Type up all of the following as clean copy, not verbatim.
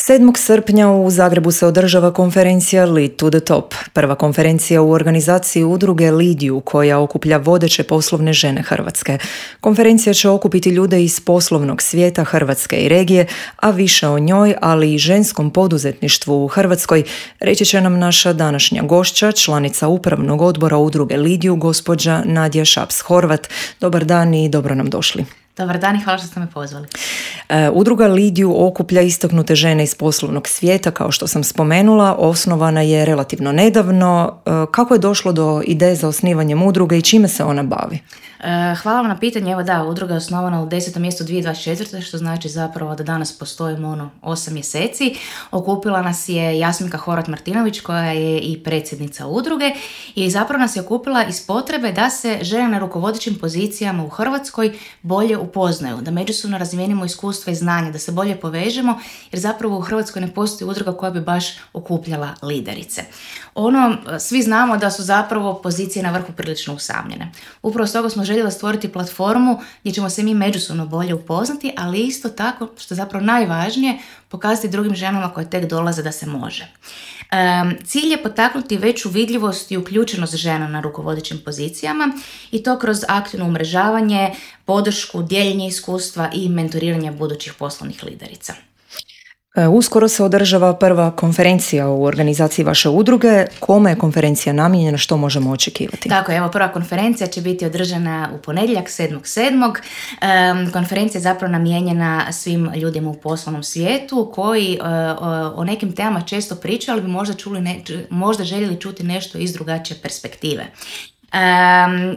7. srpnja u Zagrebu se održava konferencija Lead to the Top, prva konferencija u organizaciji udruge Lead You, koja okuplja vodeće poslovne žene Hrvatske. Konferencija će okupiti ljude iz poslovnog svijeta Hrvatske i regije, a više o njoj, ali i ženskom poduzetništvu u Hrvatskoj, reći će nam naša današnja gošća, članica upravnog odbora udruge Lead You, gospođa Nadija Šaps-Horvat. Dobar dan i dobro nam došli. Dobar dan i hvala što ste me pozvali. Udruga Lead You okuplja istaknute žene iz poslovnog svijeta, kao što sam spomenula, osnovana je relativno nedavno. Kako je došlo do ideje za osnivanjem udruge i čime se ona bavi? Hvala vam na pitanje. Evo da, udruga je osnovana u 10. mjesecu 2024. što znači zapravo da danas postojimo 8 mjeseci. Okupila nas je Jasminka Horvat-Martinović koja je i predsjednica udruge i zapravo nas je okupila iz potrebe da se žene na rukovodećim pozicijama u Hrvatskoj bolje upoznaju, da međusobno razmijenimo iskustva i znanja, da se bolje povežemo jer zapravo u Hrvatskoj ne postoji udruga koja bi baš okupljala liderice. Svi znamo da su zapravo pozicije na vrhu prilično usamljene. Upravo stoga smo željeli stvoriti platformu gdje ćemo se mi međusobno bolje upoznati, ali isto tako, što je zapravo najvažnije, pokazati drugim ženama koje tek dolaze da se može. Cilj je potaknuti veću vidljivost i uključenost žena na rukovodećim pozicijama i to kroz aktivno umrežavanje, podršku, dijeljenje iskustva i mentoriranje budućih poslovnih liderica. Uskoro se održava prva konferencija u organizaciji vaše udruge. Kome je konferencija namijenjena, što možemo očekivati? Tako je, evo prva konferencija će biti održana u ponedjeljak 7.7. Konferencija je zapravo namijenjena svim ljudima u poslovnom svijetu koji o nekim temama često pričaju, ali bi možda željeli čuti nešto iz drugačije perspektive.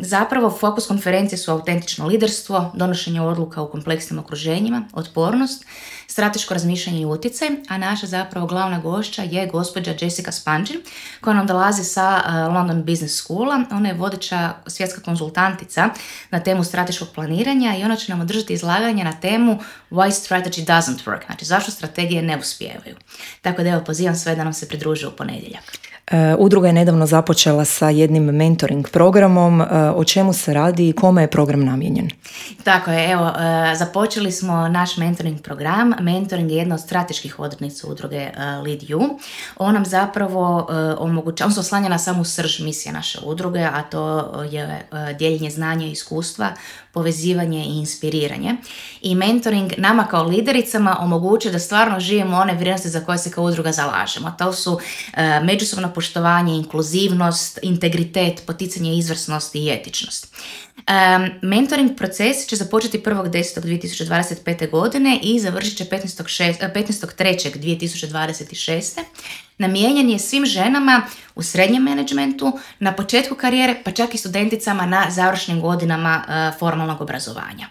Zapravo fokus konferencije su autentično liderstvo, donošenje odluka u kompleksnim okruženjima, otpornost, strateško razmišljanje i utjecaj, a naša zapravo glavna gošća je gospođa Jessica Spanđin koja nam dolazi sa London Business Schoola. Ona je vodeća svjetska konzultantica na temu strateškog planiranja i ona će nam održati izlaganje na temu Why Strategy Doesn't Work, znači zašto strategije ne uspijevaju. Tako da evo pozivam sve da nam se pridruže u ponedjeljak. Udruga je nedavno započela sa jednim mentoring programom. O čemu se radi i kome je program namijenjen? Tako je, evo, započeli smo naš mentoring program. Mentoring je jedna od strateških odrednica udruge Lead You. On nam zapravo on se oslanja na samu srž misije naše udruge, a to je dijeljenje znanja i iskustva, povezivanje i inspiriranje. I mentoring nama kao lidericama omogućuje da stvarno živimo one vrijednosti za koje se kao udruga zalažemo. To su međusobno poštovanje, inkluzivnost, integritet, poticanje izvrsnosti i etičnost. Mentoring proces će započeti 1.10.2025. godine i završit će 15.3.2026. Namijenjen je svim ženama u srednjem menadžmentu, na početku karijere, pa čak i studenticama na završnim godinama formalnog obrazovanja.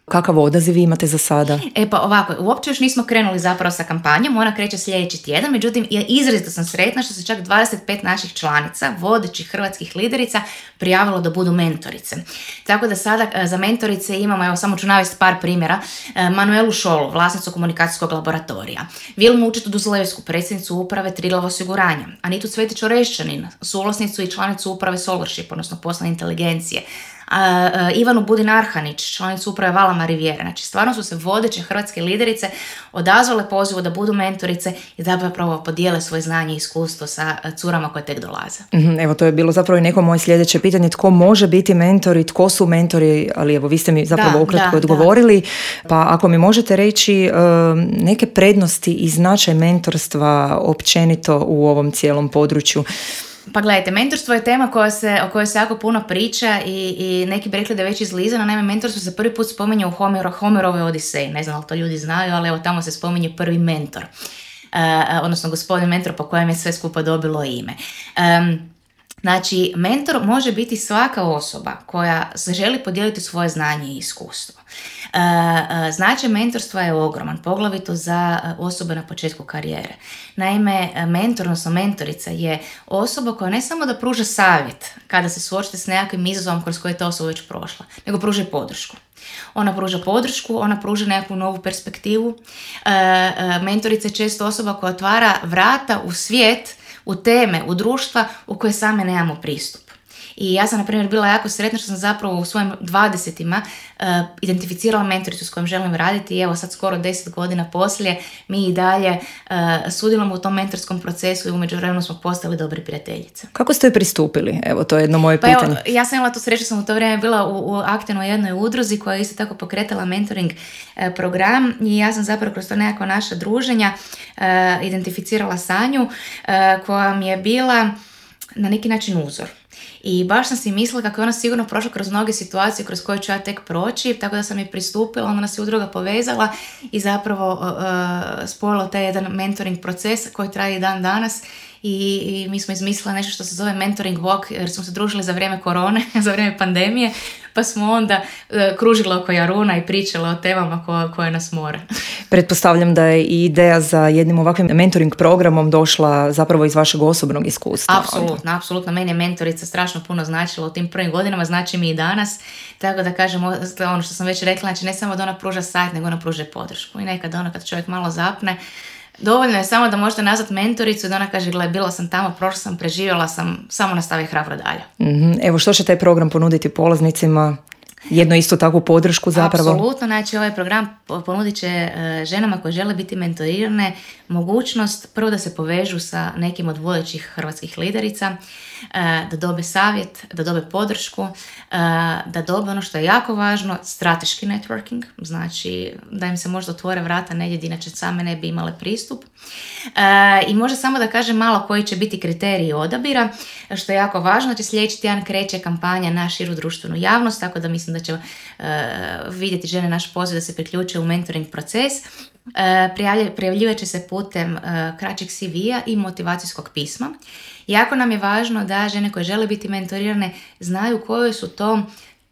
Kakav odaziv imate za sada? Pa ovako, uopće još nismo krenuli zapravo sa kampanjom, ona kreće sljedeći tjedan, međutim izrazito sam sretna što se čak 25 naših članica, vodećih hrvatskih liderica, prijavilo da budu mentorice. Tako da sada za mentorice imamo, evo samo ću navesti par primjera, Manuelu Šolu, vlasnicu komunikacijskog laboratorija, Vilmu Učetu-Duzlevsku, predsjednicu uprave Triglav osiguranja, Anitu Cvetić Orešćanin, suvlasnicu i članicu uprave Solarship, odnosno poslovne inteligencije, Ivanu Budin-Arhanić, članicu uprave Valama Riviera. Znači, stvarno su se vodeće hrvatske liderice odazvale pozivu da budu mentorice i zapravo podijele svoje znanje i iskustvo sa curama koje tek dolaze. Evo, to je bilo zapravo i neko moje sljedeće pitanje. Tko može biti mentor i tko su mentori, ali evo, vi ste mi zapravo ukratko odgovorili. Pa ako mi možete reći neke prednosti i značaj mentorstva općenito u ovom cijelom području. Pa gledajte, mentorstvo je tema o kojoj se jako puno priča i neki bi rekli da je već izlizano. Naime, mentorstvo se prvi put spominje u Homerovoj Odiseji. Ne znam da li to ljudi znaju, ali evo tamo se spominje prvi mentor. Odnosno gospodin mentor po kojem je sve skupa dobilo ime. Znači, mentor može biti svaka osoba koja se želi podijeliti svoje znanje i iskustvo. Značaj mentorstva je ogroman, poglavito za osobe na početku karijere. Naime, mentor, odnosno mentorica je osoba koja ne samo da pruža savjet kada se suočite s nekakvim izazovom kroz koje je ta osoba već prošla, nego pruža i podršku. Ona pruža podršku, ona pruža nekakvu novu perspektivu. Mentorica je često osoba koja otvara vrata u svijet, u teme, u društva u koje same nemamo pristup. I ja sam, na primjer, bila jako sretna što sam zapravo u svojim 20-ima identificirala mentoricu s kojom želim raditi i evo sad skoro 10 godina poslije mi i dalje sudjelujemo u tom mentorskom procesu i u međuvremenu smo postali dobri prijateljice. Kako ste joj pristupili? Evo, to je jedno moje pitanje. Evo, ja sam imala tu sreću, sam u to vrijeme bila aktivno u jednoj udruzi koja je isto tako pokretala mentoring program i ja sam zapravo kroz to nekako naša druženja identificirala Sanju koja mi je bila na neki način uzor. I baš sam si mislila kako je ona sigurno prošla kroz mnoge situacije kroz koje ću ja tek proći, tako da sam je pristupila, onda nas je udruga povezala i zapravo spojila taj jedan mentoring proces koji traje i dan danas. I mi smo izmislili nešto što se zove mentoring walk jer smo se družili za vrijeme korone, za vrijeme pandemije, pa smo onda kružili oko Jaruna i pričali o temama koje nas more. Pretpostavljam da je i ideja za jednim ovakvim mentoring programom došla zapravo iz vašeg osobnog iskustva. Apsolutno. Meni je mentorica strašno puno značila u tim prvim godinama, znači mi i danas. Tako da kažem, ono što sam već rekla, znači ne samo da ona pruža savjet, nego ona pruža podršku. I nekad ono kad čovjek malo zapne, dovoljno je samo da možete nazvati mentoricu i da ona kaže, gle, bila sam tamo, prošla sam, preživjela sam, samo nastavi hrabro dalje. Evo, što će taj program ponuditi polaznicima? Jedno isto takvu podršku zapravo? Apsolutno, znači ovaj program ponudit će ženama koje žele biti mentorirane mogućnost prvo da se povežu sa nekim od vodećih hrvatskih liderica, da dobe savjet, da dobe podršku, da dobe ono što je jako važno, strateški networking, znači da im se možda otvore vrata negdje gdje inače same ne bi imale pristup. I možda samo da kažem malo koji će biti kriteriji odabira, što je jako važno, znači sljedeći tjedan kreće kampanja na širu društvenu javnost, tako da mislim da će vidjeti žene naš poziv da se priključe u mentoring proces. Prijavljivat će se putem kraćeg CV-a i motivacijskog pisma. Jako nam je važno da žene koje žele biti mentorirane znaju koje su to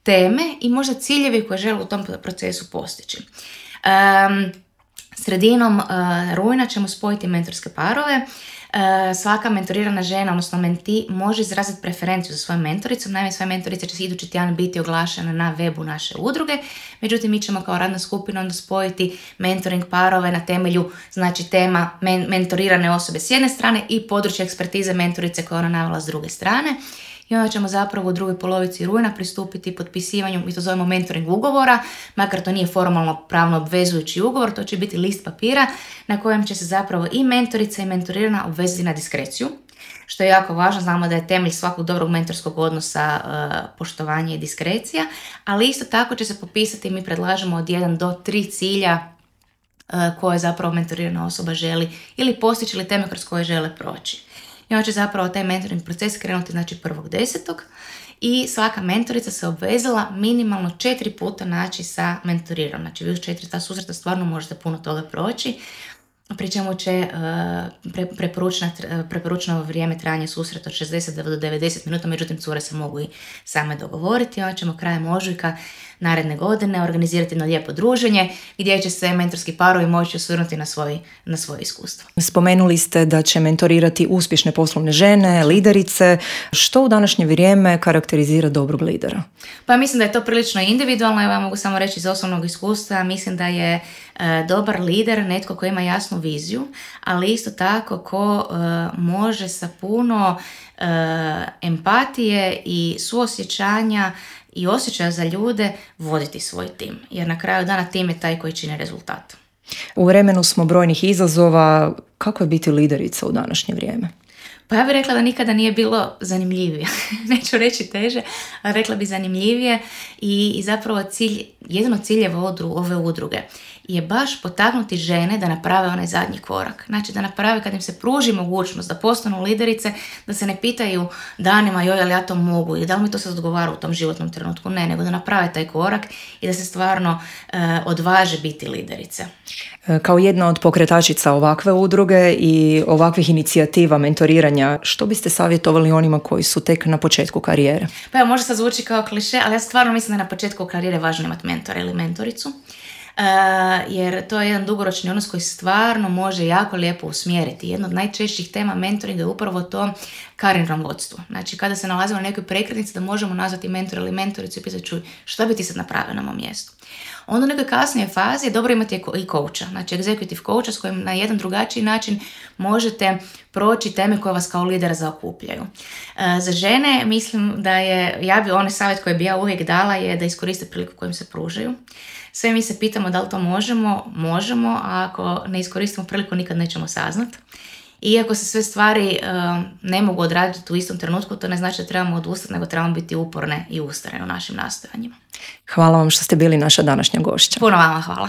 teme i možda ciljevi koje žele u tom procesu postići. Sredinom rujna ćemo spojiti mentorske parove. Svaka mentorirana žena, odnosno menti, može izraziti preferenciju za svojom mentoricom. Naime, svoje mentorice će se idući tjedan biti oglašene na webu naše udruge. Međutim, mi ćemo kao radna skupina onda spojiti mentoring parove na temelju, znači, tema mentorirane osobe s jedne strane i područje ekspertize mentorice koje ona navela s druge strane. I onda ćemo zapravo u drugoj polovici rujna pristupiti potpisivanju, mi to zovemo mentoring ugovora, makar to nije formalno pravno obvezujući ugovor, to će biti list papira na kojem će se zapravo i mentorica i mentorirana obvezati na diskreciju, što je jako važno. Znamo da je temelj svakog dobrog mentorskog odnosa poštovanje i diskrecija, ali isto tako će se popisati, mi predlažemo od 1 do 3 cilja koje zapravo mentorirana osoba želi ili postići ili teme kroz koje žele proći. I onda će zapravo taj mentoring proces krenuti, znači, 1.10. I svaka mentorica se obvezala minimalno 4 puta naći sa mentoriranom. Znači, vi uz 4 ta susreta stvarno možete puno toga proći. Pri čemu će preporučeno vrijeme trajanja susreta od 60 do 90 minuta, međutim cure se mogu i same dogovoriti. Onda ćemo krajem ožujka naredne godine organizirati jedno lijepo druženje gdje će se mentorski parovi moći osvrnuti na svoje iskustvo. Spomenuli ste da će mentorirati uspješne poslovne žene, liderice. Što u današnje vrijeme karakterizira dobrog lidera? Pa mislim da je to prilično individualno. Ja mogu samo reći iz osobnog iskustva. Mislim da je dobar lider netko ko ima jasnu viziju, ali isto tako ko može sa puno empatije i suosjećanja i osjećaja za ljude voditi svoj tim. Jer na kraju dana tim je taj koji čini rezultat. U vremenu smo brojnih izazova. Kako je biti liderica u današnje vrijeme? Pa ja bih rekla da nikada nije bilo zanimljivije. Neću reći teže, ali rekla bi zanimljivije i zapravo jedan od ciljeva ove udruge je baš potaknuti žene da naprave onaj zadnji korak. Znači da naprave, kad im se pruži mogućnost da postanu liderice, da se ne pitaju danima joj, ali ja to mogu i da li mi to sad odgovara u tom životnom trenutku. Ne, nego da naprave taj korak i da se stvarno odvaže biti liderice. Kao jedna od pokretačica ovakve udruge i ovakvih inicijativa mentoriranja, što biste savjetovali onima koji su tek na početku karijere? Pa evo, možda sad zvuči kao kliše, ali ja stvarno mislim da na početku karijere je važno imati mentora ili mentoricu. Jer to je jedan dugoročni odnos koji stvarno može jako lijepo usmjeriti. Jedna od najčešćih tema mentoringa je upravo to karijerno vodstvo. Znači, kada se nalazimo na nekoj prekretnici, da možemo nazvati mentora ili mentoricu i pitati, čuj, što bi ti sad napravio na mom mjestu? Onda u nekoj kasnijoj fazi je dobro imati i coacha, znači executive coacha s kojim na jedan drugačiji način možete proći teme koje vas kao lidera zaokupljaju. Za žene mislim da je, onaj savjet koji bi ja uvijek dala je da iskoriste priliku kojim se pružaju. Sve mi se pitamo da li to možemo, a ako ne iskoristimo priliku nikad nećemo saznati. Iako se sve stvari ne mogu odraditi u istom trenutku, to ne znači da trebamo odustati, nego trebamo biti uporne i ustrajne u našim nastojanjima. Hvala vam što ste bili naša današnja gošća. Puno vama hvala.